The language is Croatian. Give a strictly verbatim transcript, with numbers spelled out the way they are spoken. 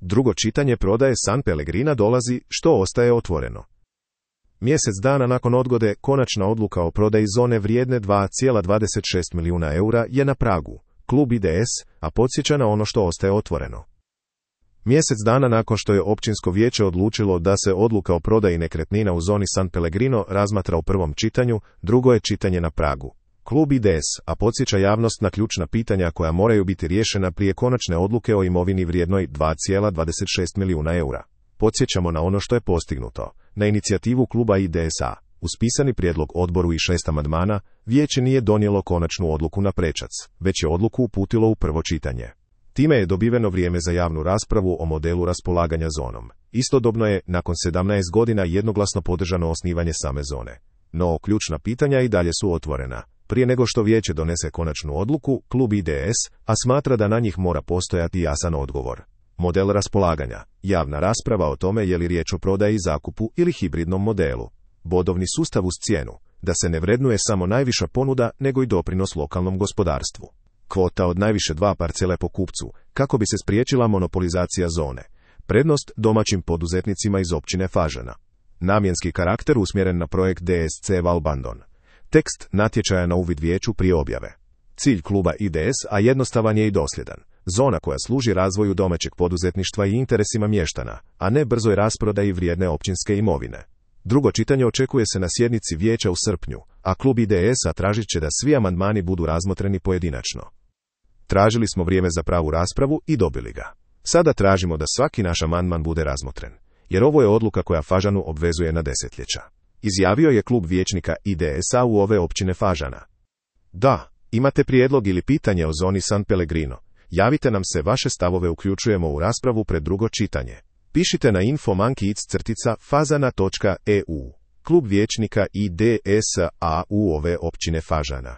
Drugo čitanje prodaje San Pellegrina dolazi, što ostaje otvoreno. Mjesec dana nakon odgode, konačna odluka o prodaji zone vrijedne dva zarez dvadeset šest milijuna eura je na pragu. Klub I D S, a podsjeća na ono što ostaje otvoreno. Mjesec dana nakon što je općinsko vijeće odlučilo da se odluka o prodaji nekretnina u zoni San Pellegrino razmatra u prvom čitanju, drugo je čitanje na pragu. Klub I D S, a podsjeća javnost na ključna pitanja koja moraju biti riješena prije konačne odluke o imovini vrijednoj dva zarez dvadeset šest milijuna eura. Podsjećamo na ono što je postignuto. Na inicijativu kluba I D S A, uz pisani prijedlog odboru i šest amandmana, vijeće nije donijelo konačnu odluku na prečac, već je odluku uputilo u prvo čitanje. Time je dobiveno vrijeme za javnu raspravu o modelu raspolaganja zonom. Istodobno je, nakon sedamnaest godina, jednoglasno podržano osnivanje same zone. No, ključna pitanja i dalje su otvorena. Prije nego što vijeće donese konačnu odluku, klub I D S, a smatra da na njih mora postojati jasan odgovor. Model raspolaganja, javna rasprava o tome je li riječ o prodaji, zakupu ili hibridnom modelu. Bodovni sustav uz cijenu, da se ne vrednuje samo najviša ponuda, nego i doprinos lokalnom gospodarstvu. Kvota od najviše dva parcele po kupcu, kako bi se spriječila monopolizacija zone. Prednost domaćim poduzetnicima iz općine Fažana. Namjenski karakter usmjeren na projekt D S C Valbandon. Tekst natječaja na uvid vijeću prije objave. Cilj kluba I D S, a jednostavan je i dosljedan. Zona koja služi razvoju domaćeg poduzetništva i interesima mještana, a ne brzoj rasprodaji vrijedne općinske imovine. Drugo čitanje očekuje se na sjednici vijeća u srpnju, a klub I D S-a tražit će da svi amandmani budu razmotreni pojedinačno. Tražili smo vrijeme za pravu raspravu i dobili ga. Sada tražimo da svaki naš amandman bude razmotren, jer ovo je odluka koja Fažanu obvezuje na desetljeća. Izjavio je klub vijećnika I D S-a u ove općine Fažana. Da, imate prijedlog ili pitanje o zoni San Pellegrino? Javite nam se, vaše stavove uključujemo u raspravu pred drugo čitanje. Pišite na info mankic crtica fazana točka e u. Klub vijećnika I D S-a u ove općine Fažana.